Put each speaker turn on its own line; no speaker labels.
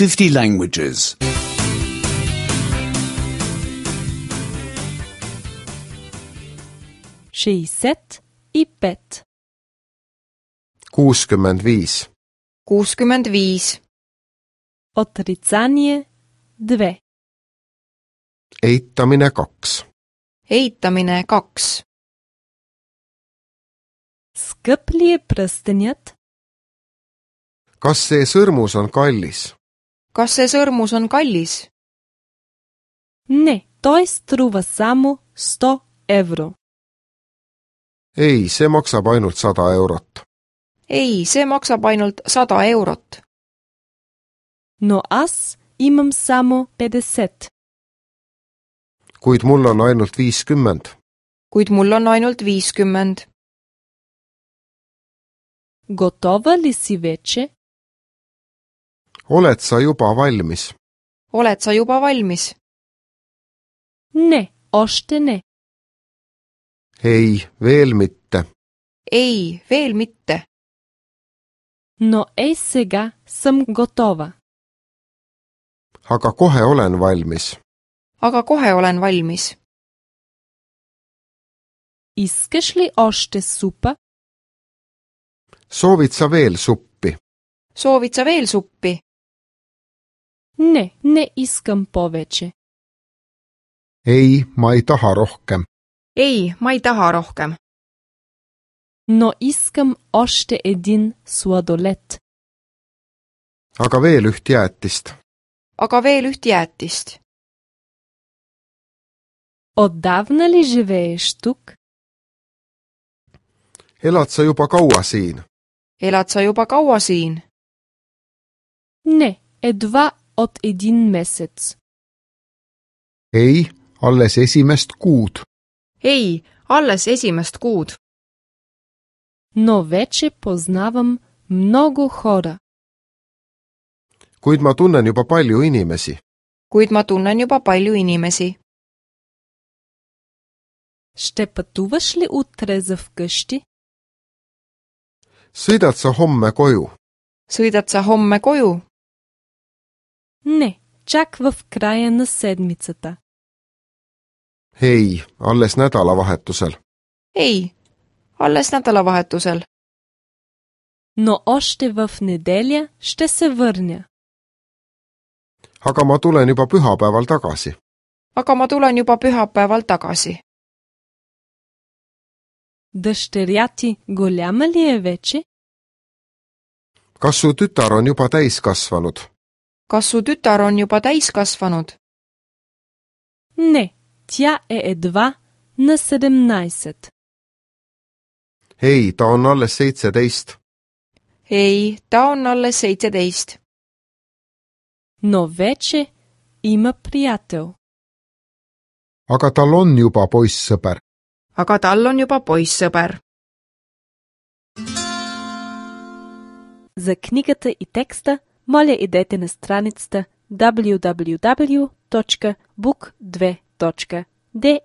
50 languages.
65.
65.
65.
Отрицание 2.
Eitamine 2.
Eitamine 2.
Скъп ли е пръстенят?
Kas see sõrmus on kallis?
Kas see sõrmus on kallis?
Не, той струва само 100 евро.
Ei, see maksab ainult 100 eurot.
Ei, see maksab ainult 100 eurot.
Но аз имам само 50.
Kuid mul on ainult 50.
Kuid mul on ainult 50.
Готова ли си вече?
Oled sa juba valmis?
Oled sa juba valmis?
Не, още не.
Ei, veel mitte.
Ei, veel mitte.
Но ей сега съм готова.
Aga kohe olen valmis.
Aga kohe olen valmis.
Искаш ли още супа?
Soovid sa veel suppi?
Soovid sa veel suppi?
Не, не искам повече.
Ei, ma ei taha rohkem.
Ei, ma ei taha rohkem.
Но искам още един сладолед.
Aga veel üht jäätist.
Aga veel üht jäätist.
Отдавна ли живееш тук?
Elad sa juba kaua siin?
Elad sa juba kaua siin?
Не, едва от един месец.
Ei, alles esimest kuud.
Ei, alles esimest kuud.
Но вече познавам много хора.
Kuid ma tunnen juba palju inimesi.
Kuid ma tunnen juba palju inimesi.
Ще пътуваш ли утре за вкъщи?
Sõidad sa homme koju?
Sõidad sa homme koju?
Не, чак в края на седмицата.
Ei, alles nädalavahetusel.
Ei, alles nädalavahetusel.
Но още в неделя ще се върня.
Aga ma tulen juba pühapäeval tagasi.
Aga ma tulen juba pühapäeval tagasi.
Дъщеря ти голяма ли е вече?
Kas su tütar on juba täiskasvanud?
Kas su tütar on juba täiskasvanud?
Не, тя е едва на 17.
Ei, ta on alles 17.
Ei, ta on alles 17.
Но вече има приятел.
Aga tal on juba poissõber.
Aga tal on juba poissõber.
За книгата и текста, моля идете на страницата www.book2.de